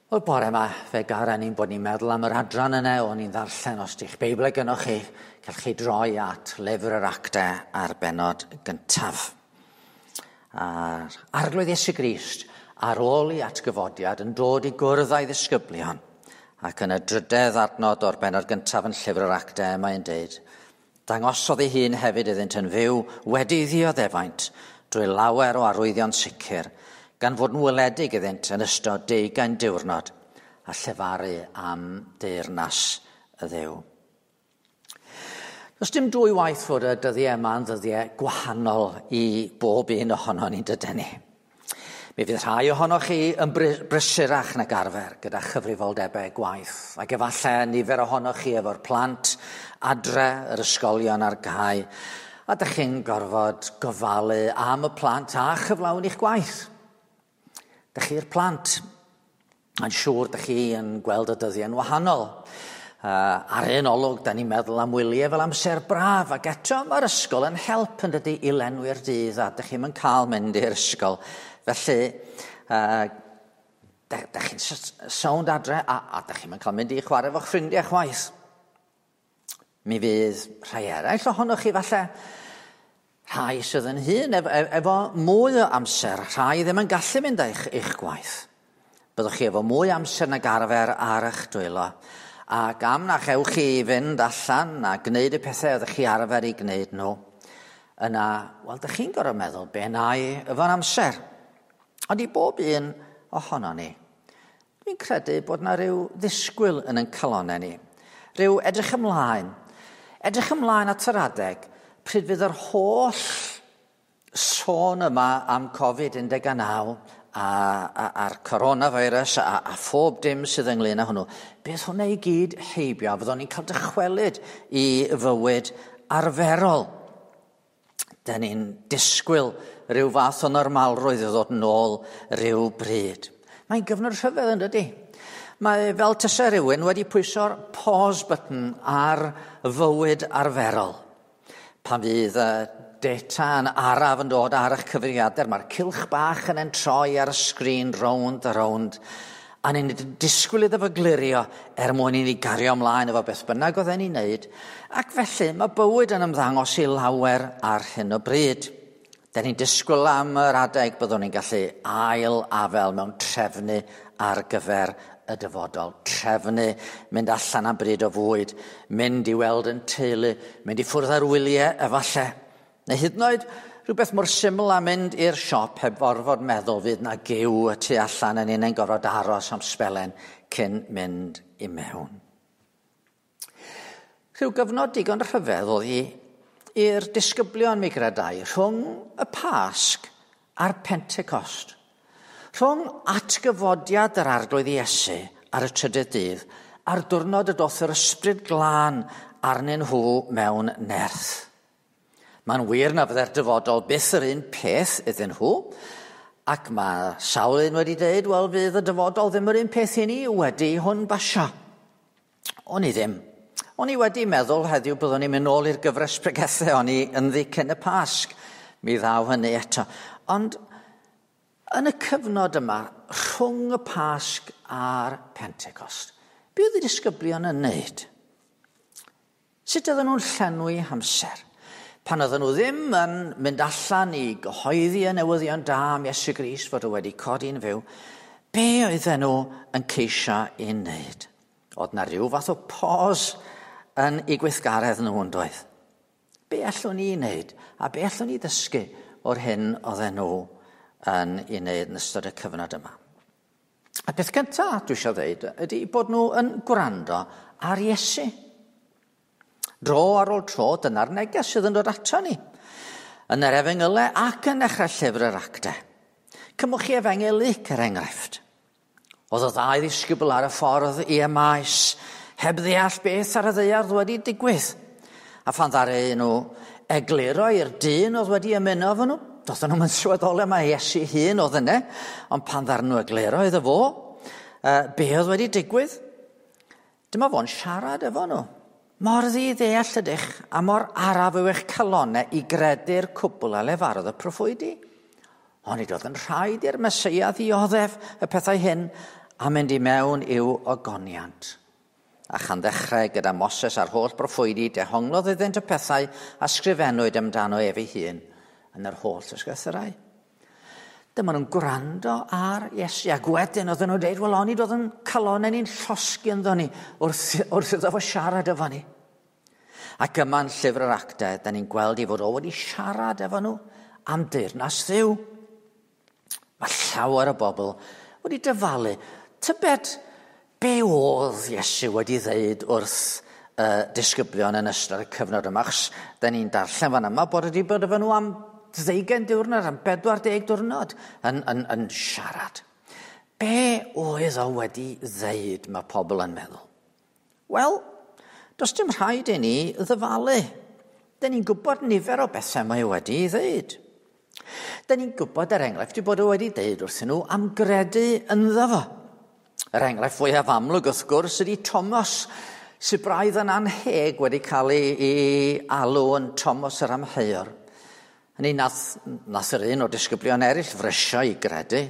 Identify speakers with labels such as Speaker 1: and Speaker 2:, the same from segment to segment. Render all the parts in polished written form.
Speaker 1: Wel, bore yma, fe garen ni'n bod ni'n meddwl am yr adran yna o'n i'n ddarllen os di'ch Beibl gynnwch chi, cewch chi droi at lyfr yr actau a'r benod gyntaf. A'r Arglwydd Iesu Grist, ar ôl ei atgyfodiad, yn dod i gwrdd â'i ddisgyblion, ac yn y drydedd adnod o'r benod gyntaf yn llyfr yr actau, mae'n deud, dangosodd ei hun hefyd iddynt yn fyw wedi ddioddefaint drwy lawer o arwyddion sicr, gan fod yn weledig iddynt yn ystod 20 diwrnod a llefaru am deyrnas y Dduw. Does dim dwy waith fod y dyddiau yma yn ddyddiau gwahanol i bob un ohono ni'n dydyn ni. Mi fydd rhai ohonoch chi yn brysurach nag arfer gyda chyfrifoldebau gwaith, ac efallai nifer ohonoch chi efo'r plant adre, yr ysgolion ar gau, a dych chi'n gorfod gofalu am y plant a chyflawni'ch gwaith. Dych chi'r plant, yn siŵr dych chi yn gweld y dyddiau'n wahanol. Ar un olwg, da ni'n meddwl am wyliau fel amser braf, ac eto mae'r ysgol yn help yn dydy i lenwi'r dydd, a dych chi'm yn cael mynd i'r ysgol. Felly, dych chi'n sownd adre, a dych chi'm yn cael mynd i chwarae efo'ch ffrindiau chwaith. Mi fydd rhai eraill ohonoch chi falle, rhai sydd yn hŷn efo mwy o amser, rhai ddim yn gallu mynd eich gwaith. Byddwch chi efo mwy amser nag arfer ar eich dwylo, ac am na chewch chi fynd allan a gwneud y pethau oeddech chi arfer i gwneud nhw, yna, wel, dych chi'n gorfod meddwl be na i efo'n amser. Ond i bob un ohono ni, dwi'n credu bod na ryw ddisgwyl yn ein calonnau ni. Rhyw edrych ymlaen. Edrych ymlaen at yr adeg pryd fydd yr holl sôn yma am Covid-19 a'r coronavirus a phob dim sydd ynglyn â hwnnw. Bydd hwnna i gyd heibio, fyddwn ni'n cael dychwelyd i fywyd arferol. Dyn ni'n disgwyl rhyw fath o normalrwydd i ddod yn ôl rhyw bryd. Mae'n gyfnod rhyfedd yn dydy. Mae fel tase rhywun wedi pwyso'r pause button ar fywyd arferol. Pan fydd y data yn araf yn dod ar eich cyfrifiadur, mae'r cylch bach yn entroi ar y sgrin rownd a rownd, a ni'n disgwyl iddo fo glirio er mwyn i ni gario ymlaen efo beth bynnag oedden ni'n neud, ac felly mae bywyd yn ymddangos i lawer ar hyn o bryd. Dyn ni'n disgwyl am yr adeg byddwn ni'n gallu ail afel mewn trefnu ar gyfer y dyfodol. Trefnu, mynd allan am bryd o fwyd, mynd i weld yn teulu, mynd i ffwrdd ar wyliau efallai. Neu hyd yn oed rhywbeth mor syml â mynd i'r siop heb orfod meddwl fydd na giw y tu allan yn un yn gorfod aros am sbelen cyn mynd i mewn. Rhyw gyfnod digon rhyfedd oedd hi i'r disgyblion mi gredai rhwng y Pasg a'r Pentecost. Rhwng atgyfodiad yr Arglwydd Iesu ar y trydydd dydd a'r diwrnod y doth yr Ysbryd Glân arnyn nhw mewn nerth. Mae'n wir na fydde'r dyfodol byth yr un peth iddyn nhw, ac mae sawl un wedi dweud, wel, fydd y dyfodol ddim yr un peth i ni wedi hwn basio. O'n i ddim. O'n i wedi meddwl heddiw byddwn i'n mynd nôl i'r gyfres pregethau o'n i ynddi cyn y Pasg. Mi ddaw hynny eto. Ond yn y cyfnod yma, rhwng y Pasg a'r Pentecost, be oedd y disgyblion yn wneud? Sut oedden nhw'n llenwi hamser? Pan oedden nhw ddim yn mynd allan i gyhoeddi y newyddion da am Iesu Grist fod o wedi codi'n fyw, be oedden nhw yn ceisio i wneud? Oedd na rhyw fath o pause yn eu gweithgaredd nhw yn doedd? Be allwn ni wneud a be allwn ni ddysgu o'r hyn oedden nhw yn ei wneud yn ystod y cyfnod yma? A peth cyntaf dwi eisiau dweud ydy bod nhw yn gwrando ar Iesu. Dro ar ôl tro, dyna'r neges sydd yn dod ato ni. Yn yr Efengylau ac yn dechrau llyfr yr Actau. Cymwch chi Efengyl Luc er enghraifft. Oedd y ddau ddisgybl ar y ffordd i Emmaus, heb ddeall beth ar y ddaear wedi digwydd. A phan ddaru nhw egluro i'r dyn oedd wedi ymuno efo nhw, doedden nhw'm yn sylweddoli mai Iesu hun oedd yna, ond pan ddaru nhw egluro iddo fo, be oedd wedi digwydd, dyma fo'n siarad efo nhw. Mor ddi-ddeall ydych a mor araf yw eich calonnau i gredu'r cwbl a lefarodd y proffwydi. Onid oedd yn rhaid i'r Meseia ddioddef y pethau hyn a mynd i mewn i'w ogoniant. A chan ddechrau gyda Moses a'r holl broffwydi, dehonglodd iddynt y pethau a sgrifennwyd amdano ef ei hun yn yr holl ysgrythurau. Dyma nhw'n gwrando ar Iesu, ac wedyn oedden nhw'n dweud, wel, onid oedd yn calonnau ni'n llosgi ynddo ni wrth iddo fo siarad efo ni. Ac yma'n llyfr yr Actau, da ni'n gweld ei fod o wedi siarad efo nhw am deyrnas Dduw. Mae llawer o bobl wedi dyfalu. Tybed be oedd Iesu wedi ddeud wrth disgyblion yn ystod y cyfnod yma, achos da ni'n darllen fan yma bod wedi bod efo nhw am 20 diwrnod, am 40 diwrnod yn siarad. Be oedd o wedi ddeud, mae pobl yn meddwl? Wel, does dim rhaid i ni ddyfalu. Da ni'n gwybod nifer o bethau mae wedi ei ddeud. Da ni'n gwybod, er enghraifft, ei bod o wedi deud wrthyn nhw am gredu ynddo fo. Yr enghraifft fwyaf amlwg, wrth gwrs, ydy Thomas, sydd braidd yn anheg wedi cael ei alw yn Thomas yr Amheuwr. Hynny nath yr un o'r disgyblion eraill frysio i gredu,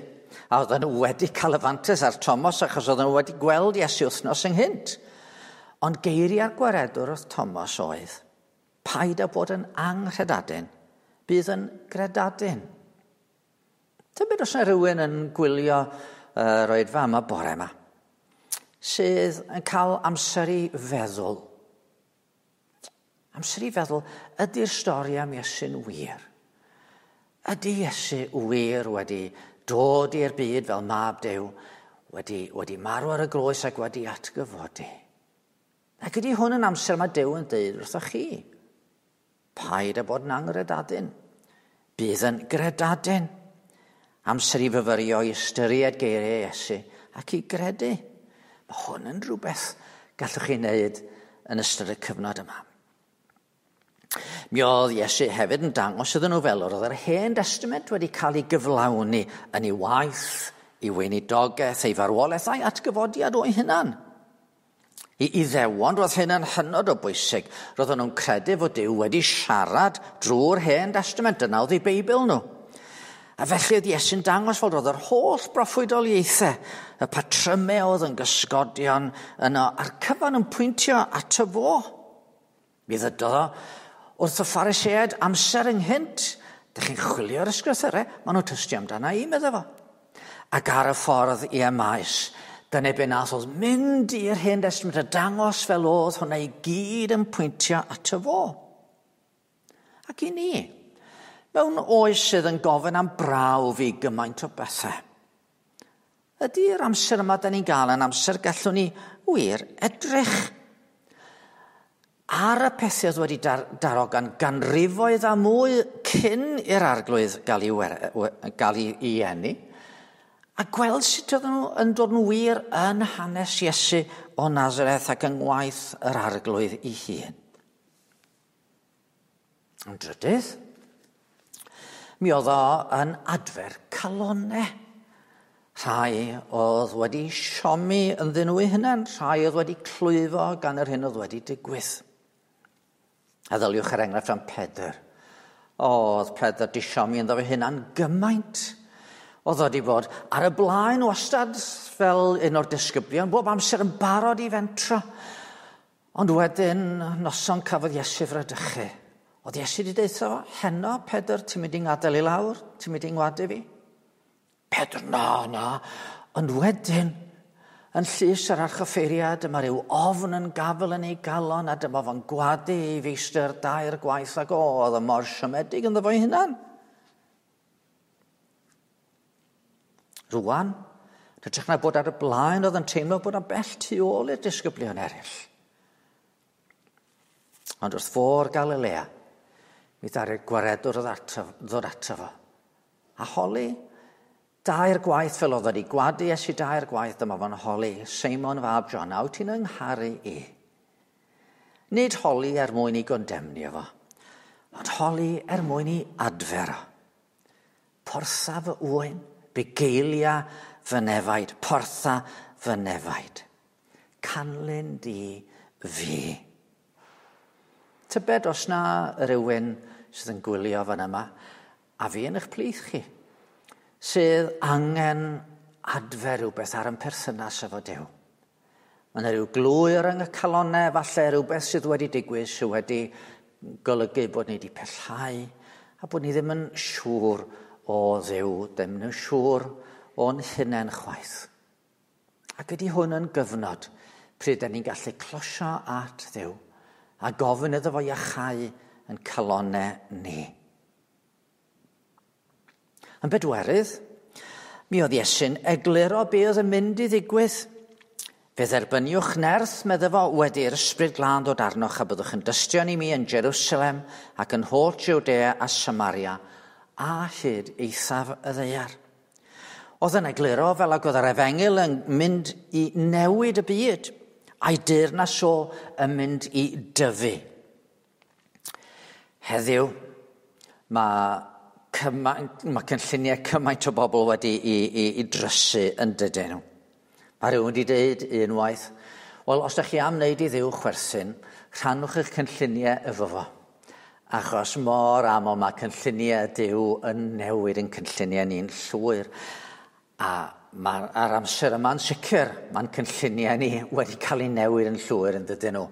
Speaker 1: a oedden nhw wedi cael y fantais ar Thomas achos oedden nhw wedi gweld Iesu wythnos ynghynt. Ond geiriau'r gwaredwr wrth Thomas oedd, paid â bod yn anghredadun, bydd yn gredadun. Tybed os yna rhywun yn gwylio yr oedfa yma bore yma, sydd yn cael amser i feddwl. Amser i feddwl, ydy'r stori am Iesu'n wir? Ydy Iesu wir wedi dod i'r byd fel mab Duw, wedi marw ar y groes ac wedi atgyfodi? Ac ydy hwn yn amser mae Duw yn deud wrthoch chi? Paid â bod yn anghredadun. Bydd yn gredadun. Amser i fyfyrio, i ystyried geiriau Iesu ac i gredu. Mae hwn yn rhywbeth gallwch chi wneud yn ystod y cyfnod yma. Mi oedd Iesu hefyd yn dangos iddyn nhw fel oedd yr Hen Testament wedi cael ei gyflawni yn ei waith, ei weinidogaeth, ei farwolaeth a'i atgyfodiad o'i hunan. I Iddewon, roedd hyn yn hynod o bwysig. Roedden nhw'n credu fod Duw wedi siarad drwy'r Hen Testament, dyna oedd eu Beibl nhw. A felly oedd Iesu'n dangos fod oedd yr holl broffwydoliaethau, y patrymau oedd yn gysgodion yno, a'r cyfan yn pwyntio ato fo. Mi ddydodd o wrth y Phariseaid amser ynghynt, dych chi'n chwilio'r ysgrythurau, maen nhw'n tystio amdana i, medda fo. Ac ar y ffordd i Emmaus, dyna be nath oedd mynd i'r Hen Testament a dangos fel oedd hwnna i gyd yn pwyntio ato fo. Ac i ni, mewn oes sydd yn gofyn am brawf i gymaint o bethau, ydy'r amser yma da ni'n gael yn amser gallwn ni wir edrych ar y pethau oedd wedi darogan ganrifoedd a mwy cyn i'r Arglwydd gael ei eni, a gweld sut oedden nhw yn dod yn wir yn hanes Iesu o Nazareth ac yng ngwaith yr Arglwydd ei hun. Yn drydydd, mi oedd o yn adfer calonnau. Rhai oedd wedi siomi ynddyn nhw eu hunain, rhai oedd wedi clwyfo gan yr hyn oedd wedi digwydd. A ddyliwch er enghraifft am Pedr. Oedd Pedr di siomi ynddo fe hunan gymaint. Oedd o wedi bod ar y blaen wastad fel un o'r disgyblion, bob amser yn barod i fentro. Ond wedyn, noson cafodd Iesu fradychu. Oedd Iesu wedi deutha fo, heno, Pedr, ti'n mynd i'n gadael i lawr? Ti'n mynd i'n ngwadu fi? Pedr, na, na. Ond wedyn, yn llys yr archoffeiriad, dyma rhyw ofn yn gafel yn ei galon, a dyma fo'n gwadu ei feistr dair gwaith ac oedd o mor siomedig ynddo fo'i hunan. Rwan, hytrach na bod ar y blaen, oedd yn teimlo bod o'n bell tu ôl i'r disgyblion eraill. Ond wrth fôr Galilea, mi ddaru'r gwaredwr ddod ato fo. A holi dair gwaith fel oedd wedi gwadu Iesu dair gwaith, dyma fo'n holi Seimon fab John, a wyt ti'n yngharu i? Nid holi er mwyn i gondemnio fo, ond holi er mwyn i adfer o. Portha fy ŵyn, bugeilia fy nefaid, portha fy nefaid. Canlyn di fi. Tybed os na rhywun sydd yn gwylio fan yma, a fi yn eich plith chi, sydd angen adfer rhywbeth ar ein perthynas efo Duw. Mae yna rhyw glwyr yng y calonau, falle rhywbeth sydd wedi digwydd sydd wedi golygu bod ni wedi pellhau a bod ni ddim yn siŵr o Dduw, ddim yn siŵr o'n hunain chwaith. Ac ydy hwn yn gyfnod pryd da ni'n gallu closio at Dduw a gofyn iddo fo iachau yn calonau ni. Yn bedwerydd, mi oedd Iesu'n egluro be oedd yn mynd i ddigwydd. Fe dderbyniwch nerth, medde fo, wedi'r Ysbryd Glân ddod arnoch a byddwch yn dystion i mi yn Jerusalem ac yn holl Judea a Samaria a hyd eithaf y ddaear. Oedd yn egluro fel ag oedd yr efengyl yn mynd i newid y byd, a'i deyrnas o yn mynd i dyfu. Heddiw, mae cynlluniau cymaint o bobl wedi i drysu yn dydyn nhw. Mae rhywun wedi dweud unwaith, wel, os ydych chi am wneud i Dduw chwerthin, rhannwch eich cynlluniau efo fo. Achos mor aml mae cynlluniau Duw yn newid yn cynlluniau ni'n llwyr. A mae'r amser yma'n sicr, mae'n cynlluniau ni wedi cael eu newid yn llwyr yn dydyn nhw,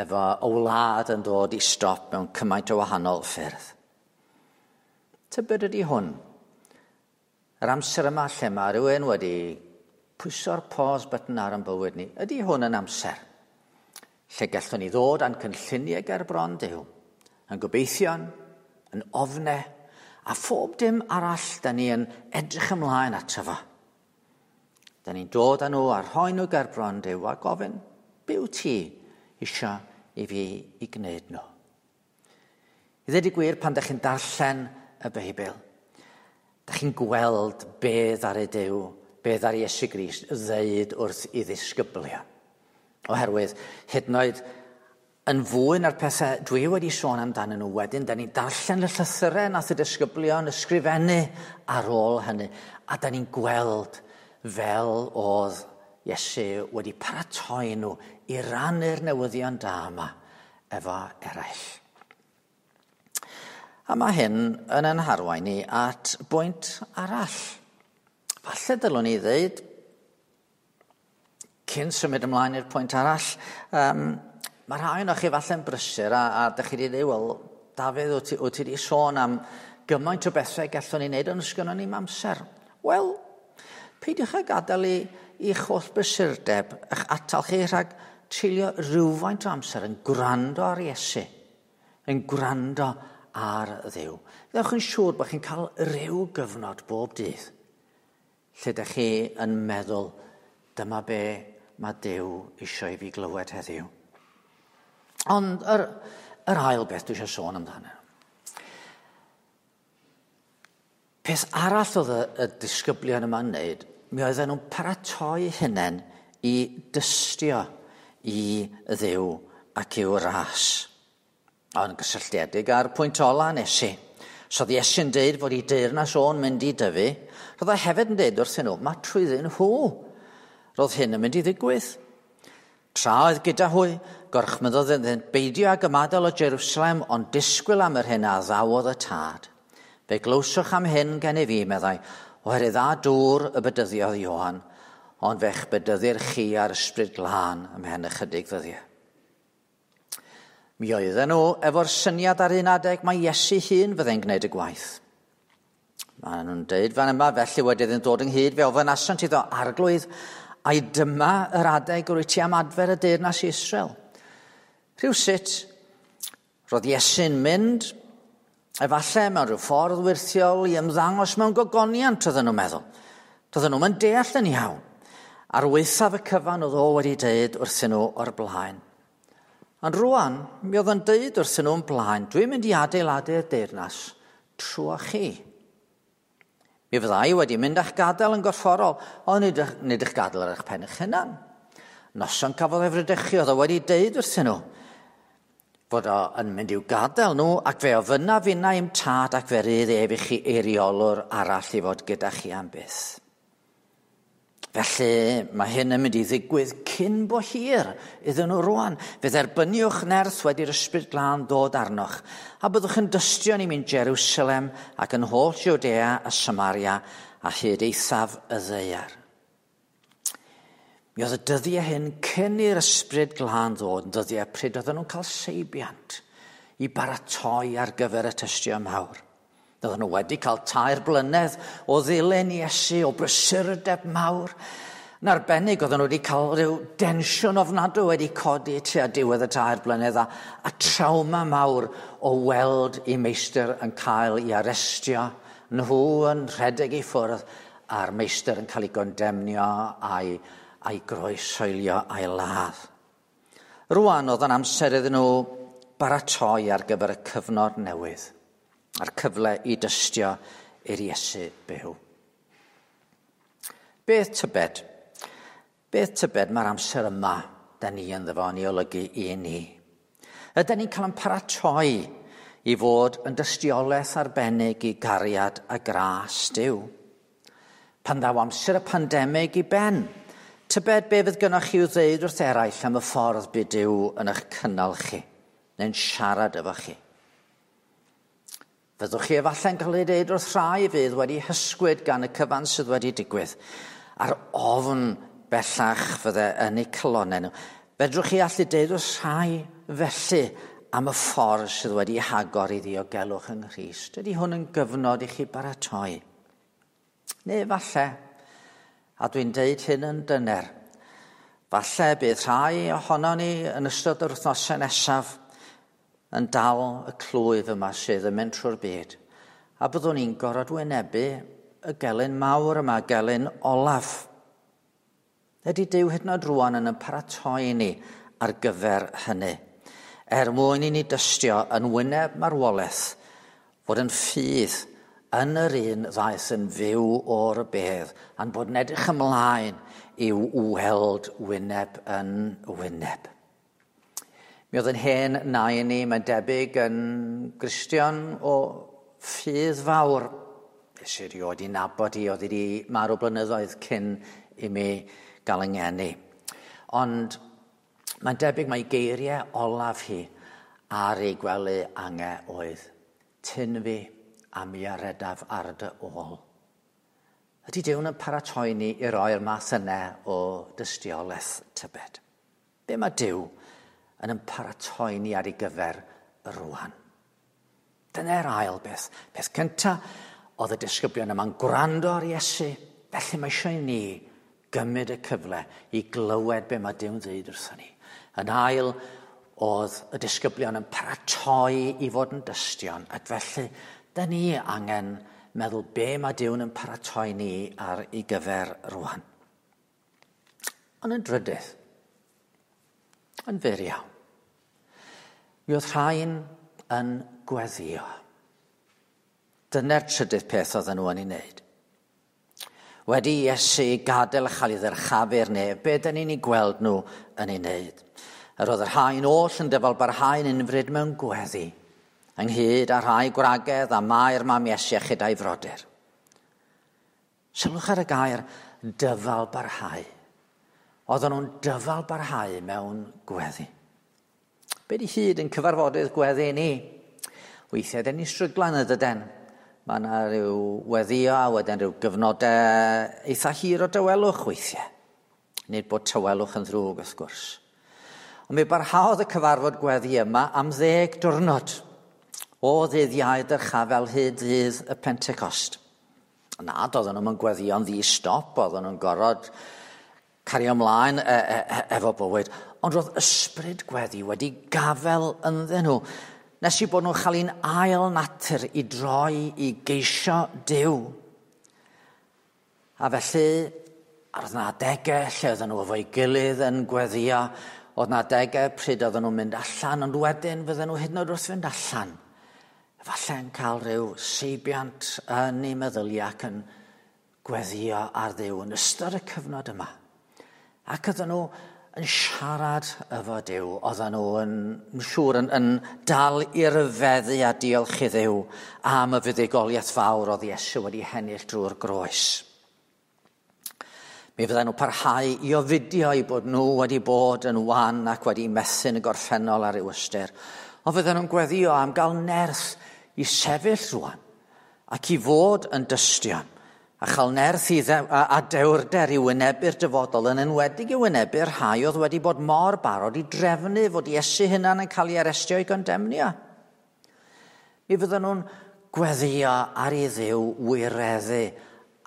Speaker 1: efo y wlad yn dod i stop mewn cymaint o wahanol ffyrdd. Tybed ydy hwn? Yr amser yma lle mae rhywun wedi pwyso'r pause button ar ein bywyd ni, ydy hwn yn amser lle gallwn ni ddod â'n cynlluniau ger bron Duw, yn gobeithion, yn ofne, a phob dim arall da ni yn edrych ymlaen ato fo. Da ni'n dod â nhw a rhoi nhw ger bron Duw a gofyn, be wyt ti isio i fi i gwneud nhw? I ddweud y gwir, pan da chi'n darllen y Beibl, da chi'n gweld be ddaru Duw, be ddaru Iesu Grist ddeud wrth i ddisgyblion. Oherwydd, hyd yn oed yn fwy na'r pethau dwi wedi sôn amdanyn nhw wedyn, da ni'n darllen y llythyrau nath y disgyblion ysgrifennu ar ôl hynny, a da ni'n gweld fel oedd Iesu wedi paratoi nhw i rannu'r newyddion da yma efo eraill. A mae hyn yn ein harwain ni at bwynt arall. Falle dylwn ni ddeud, cyn symud ymlaen i'r pwynt arall, mae rhai ohonoch chi falle'n brysur a dych chi wedi dweud, wel, Dafydd, wyt ti wedi sôn am gymaint o bethau gallwn ni wneud, ond sgynnon ni'm amser. Wel, peidiwch â gadael i'ch holl brysurdeb eich atal chi rhag treulio rhywfaint o amser yn gwrando ar Iesu, yn gwrando ar Dduw. Ddewch yn siŵr bod chi'n cael rhyw gyfnod bob dydd lle ydych chi yn meddwl, dyma be mae Duw eisiau i fi glywed heddiw. Ond yr ail beth dwi eisiau sôn amdano. Peth arall oedd y disgyblion yma'n wneud, mi oedden nhw'n paratoi hunain i dystio i Dduw ac i'w ras. Ond gysylltiedig â'r pwynt ola nes i. So oedd Iesu'n deud fod ei deyrnas o'n mynd i dyfu, roedd o hefyd yn deud wrthyn nhw, mae trwyddyn nhw. Roedd hyn yn mynd i ddigwydd. Tra oedd gyda hwy, gorchmyddodd iddynt beidio ag ymadael o Jerusalem, ond disgwyl am yr hyn a ddawodd y tad. Fe glywsoch am hyn gen i fi, meddai, oherwydd â dŵr y bedyddiodd Ioan, ond fe'ch bedyddir chi ar Ysbryd Glân ymhen ychydig ddyddiau. Mi oedden nhw efo'r syniad ar un adeg mae Iesu hun fyddai'n gwneud y gwaith. Maen nhw'n deud fan yma, felly wedi iddynt dod ynghyd, fe ofynasant iddo, Arglwydd, ai dyma yr adeg yr wyt ti am adfer y deyrnas i Israel. Rhywsut, roedd Iesu'n mynd, efallai mewn rhyw ffordd wyrthiol i ymddangos mewn gogoniant, oedden nhw'n meddwl. Doedden nhw'n deall yn iawn. Ar waethaf y cyfan oedd o wedi deud wrthyn nhw o'r blaen. Ond rwan, mi oedd o'n deud wrthyn nhw'n blaen, dwi'n mynd i adeiladu'r deyrnas trwy chi. Mi fyddai wedi mynd a'ch gadael yn gorfforol, ond nid eich gadael ar eich pen eich hunan. Noson cafodd ei fradychu, oedd o wedi deud wrthyn nhw fod o yn mynd i'w gadael nhw, ac fe ofynna finna i'm tad ac fe rydd ef i chi eiriolwr arall i fod gyda chi am byth. Felly mae hyn yn mynd i ddigwydd cyn bo hir iddyn nhw rwan. Fe dderbyniwch nerth wedi'r Ysbryd Glân ddod arnoch, a byddwch yn dystion i mi'n Jerusalem ac yn holl Judea a Samaria a hyd eithaf y ddaear. Mi oedd y dyddiau hyn cyn i'r Ysbryd Glân ddod yn dyddiau pryd oedden nhw'n cael seibiant i baratoi ar gyfer y tystio mawr. Oedden nhw wedi cael 3 blynedd o ddilyn Iesu, o brysurdeb mawr. Yn arbennig, oedden nhw wedi cael rhyw densiwn ofnadwy wedi codi tua diwedd y 3 blynedd a trawma mawr o weld eu meistr yn cael ei arestio, nhw yn rhedeg i ffwrdd a'r meistr yn cael ei gondemnio a'i groeshoelio a'i ladd. Rwan oedd yn amser iddyn nhw baratoi ar gyfer y cyfnod newydd, a'r cyfle i dystio i'r Iesu byw. Beth tybed? Beth tybed mae'r amser yma da ni ynddo fo yn ei olygu i ni? Ydyn ni'n cael ein paratoi i fod yn dystiolaeth arbennig i gariad a gras Duw? Pan ddaw amser y pandemig i ben, tybed be fydd gynnoch chi i'w ddeud wrth eraill am y ffordd bu Duw yn eich cynnal chi, neu'n siarad efo chi. Fyddwch chi efallai'n cael ei ddeud wrth rhai fydd wedi hysgwyd gan y cyfan sydd wedi digwydd, a'r ofn bellach fydde yn eu calonnau nhw. Fedrwch chi allu deud wrth rhai felly am y ffordd sydd wedi hagor i ddiogelwch yng Nghrist? Ydy hwn yn gyfnod i chi baratoi? Neu falle, a dwi'n deud hyn yn dyner, falle bydd rhai ohonon ni yn ystod yr wythnosau nesaf yn dal y clwyf yma sydd yn mynd trwy'r byd, a byddwn ni'n gorfod wynebu y gelyn mawr yma, gelyn olaf. Ydy Duw hyd yn oed rwan yn paratoi ni ar gyfer hynny, er mwyn i ni dystio yn wyneb marwolaeth fod yn ffydd yn yr un ddaeth yn fyw o'r bedd, a'n bod yn edrych ymlaen i'w weld wyneb yn wyneb. Mi oedd yn hen nain ni, mae'n debyg, yn Gristion o ffydd fawr. Nes i erioed i nabod hi, oedd hi wedi marw blynyddoedd cyn i mi gael yng ngeni. Ond mae'n debyg mai geiriau olaf hi ar ei gwely ange oedd, "Tyn fi a mi a redaf ar dy ôl." Ydy Duw yn paratoi ni i roi'r math yna o dystiolaeth tybed? Be mae Duw yn paratoi ni ar ei gyfer rwan? Dyna'r ail beth. Peth cyntaf, oedd y disgyblion yma'n gwrando ar Iesu. Felly mae eisiau i ni gymryd y cyfle i glywed be mae Duw'n dweud wrthon ni. Yn ail, oedd y disgyblion yn paratoi i fod yn dystion, ac felly, da ni angen meddwl be mae Duw'n yn paratoi ni ar ei gyfer rwan. Ond yn drydydd, yn fyr iawn, mi oedd rhain yn gweddïo. Dyna'r trydydd peth oedden nhw yn ei wneud. Wedi Iesu gadael a chael ei ddyrchafu'r nef, be dyn ni'n ei gweld nhw yn ei wneud? Yr oedd y rhain oll yn dyfalbarhau'n unfryd mewn gweddi, ynghyd â rhai gwragedd a Mair mam Iesu a chyda'i frodyr. Sylwch ar y gair dyfalbarhau. Oedden nhw'n dyfalbarhau mewn gweddi. Be di hyd yn cyfarfodydd gweddi ni? Weithiau, dyn ni'n stryglan y dyden. Mae yna rhyw weddïo a wedyn rhyw gyfnodau eitha hir o dawelwch weithiau. Nid bod tawelwch yn ddrwg, wrth gwrs. Ond mi barhaodd y cyfarfod gweddi yma am 10 diwrnod o ddydd Iau dyrchafel hyd ddydd y Pentecost. Na, doedden nhw'n gweddïo'n ddi-stop, oedden nhw'n gorfod cario ymlaen efo bywyd, ond roedd ysbryd gweddi wedi gafel ynddyn nhw, nes i bod nhw'n cael un ail natur i droi i geisio Duw. A felly, ar yna adegau lle oedden nhw efo'i gilydd yn gweddïo, oedd yna adegau pryd oedden nhw'n mynd allan, ond wedyn fydden nhw hyd yn oed wrth fynd allan. Efallai yn cael rhyw seibiant yn eu meddyliau ac yn gweddïo ar Dduw yn ystod y cyfnod yma. Ac oedden nhw yn siarad efo Duw, oedden nhw yn siŵr yn dal i ryfeddu a diolch i Dduw am y fuddugoliaeth fawr oedd Iesu wedi hennill drwy'r groes. Mi fydden nhw parhau i ofidio i bod nhw wedi bod yn wan ac wedi methu yn y gorffennol ar ryw ystyr. Ond fydden nhw'n gweddïo am gael nerth i sefyll rwan ac i fod yn dystion A chael nerth i a dewrder i wynebu'r dyfodol, yn enwedig i wynebu'r rhai oedd wedi bod mor barod i drefnu fod Iesu hunan yn cael ei arestio i gondemnio. Mi fydden nhw'n gweddio ar i Dduw wireddu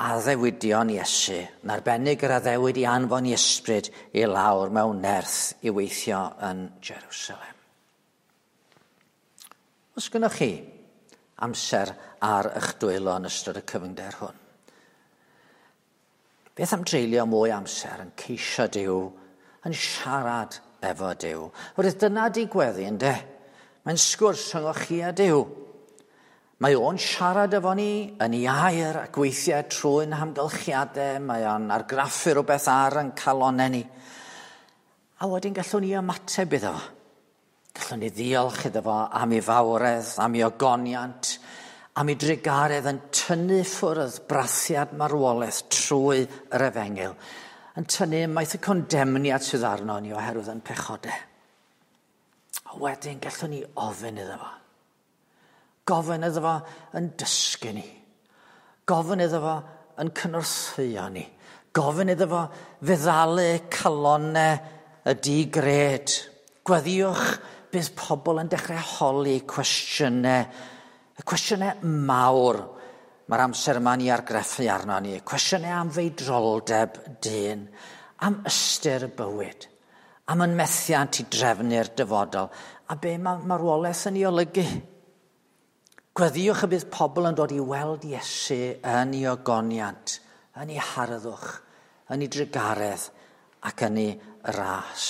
Speaker 1: addewidion Iesu, yn arbennig yr addewid i anfon i ysbryd i lawr mewn nerth i weithio yn Jerusalem. Os gynnwch chi amser ar eich dwylo yn ystod y cyfyngder hwn, beth am dreulio mwy amser yn ceisio Duw, yn siarad efo Duw? Oherwydd dyna di gweddi, ynde? Mae'n sgwrs rhyngoch chi a Duw. Mae o'n siarad efo ni yn ei air ac weithiau trwy'n hamgylchiadau, mae o'n argraffu rhywbeth ar yn calonau ni. A wedyn gallwn ni ymateb iddo fo. Gallwn ni ddiolch iddo fo am ei fawredd, am ei ogoniant, am ei drugaredd yn tynnu ffwrdd brathiad marwolaeth trwy yr efengyl, yn tynnu ymaith y condemniad sydd arno ni oherwydd yn pechodau. A wedyn gallwn ni ofyn iddo fo. Gofyn iddo fo yn dysgu ni. Gofyn iddo fo yn cynorthwyo ni. Gofyn iddo fo feddalu calonau y digred. Gweddïwch bydd pobl yn dechrau holi cwestiynau. Y cwestiynau mawr mae'r amser yma ni argraffu arno ni. Cwestiynau am feidroldeb dyn, am ystyr y bywyd, am yn methiant i drefnu'r dyfodol, a be mae marwolaeth yn ei olygu. Gweddïwch y bydd pobl yn dod i weld Iesu yn ei ogoniant, yn ei harddwch, yn ei drugaredd ac yn ei ras.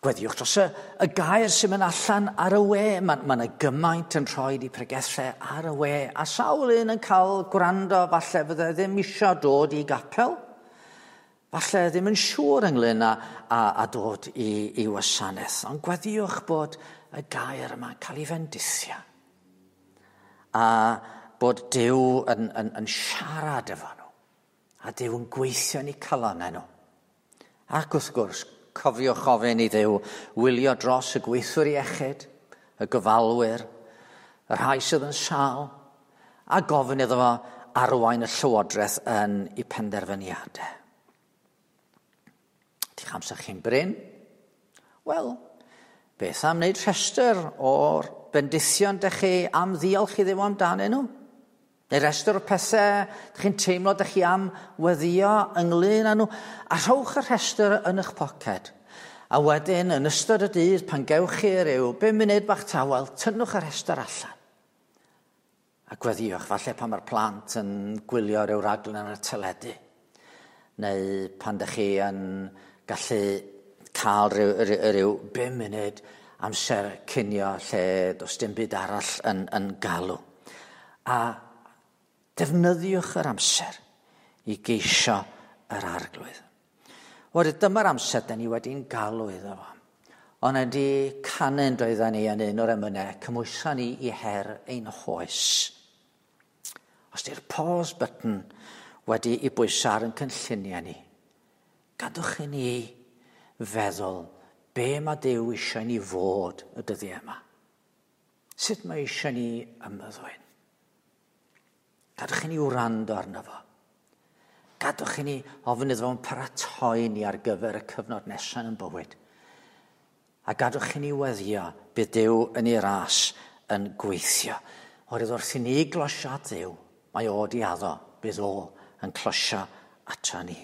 Speaker 1: Gweddïwch dros y gair sy'n mynd allan ar y we. Mae yna gymaint yn rhoi i pregethau ar y we. A sawl un yn cael gwrando falle fydde ddim isio dod i gapel. Falle ddim yn siŵr ynglyn â dod i wasanaeth. Ond gweddïwch bod y gair yma'n cael ei fendithio. A bod Duw yn siarad efo nhw. A Duw yn gweithio yn eu calonnau nhw. Ac wrth gwrs, cofiwch ofyn i Dduw wylio dros y gweithwyr iechyd, y gofalwyr, y rhai sydd yn sâl, a gofyn iddo fo arwain y llywodraeth yn ei penderfyniadau. Di'ch amser chi'n brin? Wel, beth am wneud rhestr o'r bendithion dych chi am ddiolch i Dduw amdanyn nhw? Neu restr o'r pethau dych chi'n teimlo dych chi am weddio ynglyn â nhw? A rhowch y rhestr yn eich poced. A wedyn, yn ystod y dydd, pan gewch chi ryw 5 munud bach tawel, tynnwch y rhestr allan. A gweddiwch, falle pan mae'r plant yn gwylio ryw raglen ar y teledu. Neu pan dych chi yn gallu cael ryw 5 munud amser cinio lle does dim byd arall yn galw. A defnyddiwch yr amser i geisio yr arglwydd. Wedyn dyma'r amser da ni wedi'n galw iddo fo. Ond ydy canu'n doedden ni yn un o'r emynau, cymwysa ni i her ein hoes. Os di'r pause button wedi i bwyso ar yn cynlluniau ni, gadwch i ni feddwl be mae Duw eisiau ni fod y dyddiau yma. Sut mae eisiau ni ymddwyn? Gadwch i ni wrando arno fo. Gadwch i ni ofyn iddo fo'n paratoi ni ar gyfer y cyfnod nesaf yn bywyd. A gadwch i ni weddio bydd Duw yn ei ras yn gweithio. Oherwydd wrth i ni glosio at Dduw, mae o di addo, bydd o yn closio ato ni.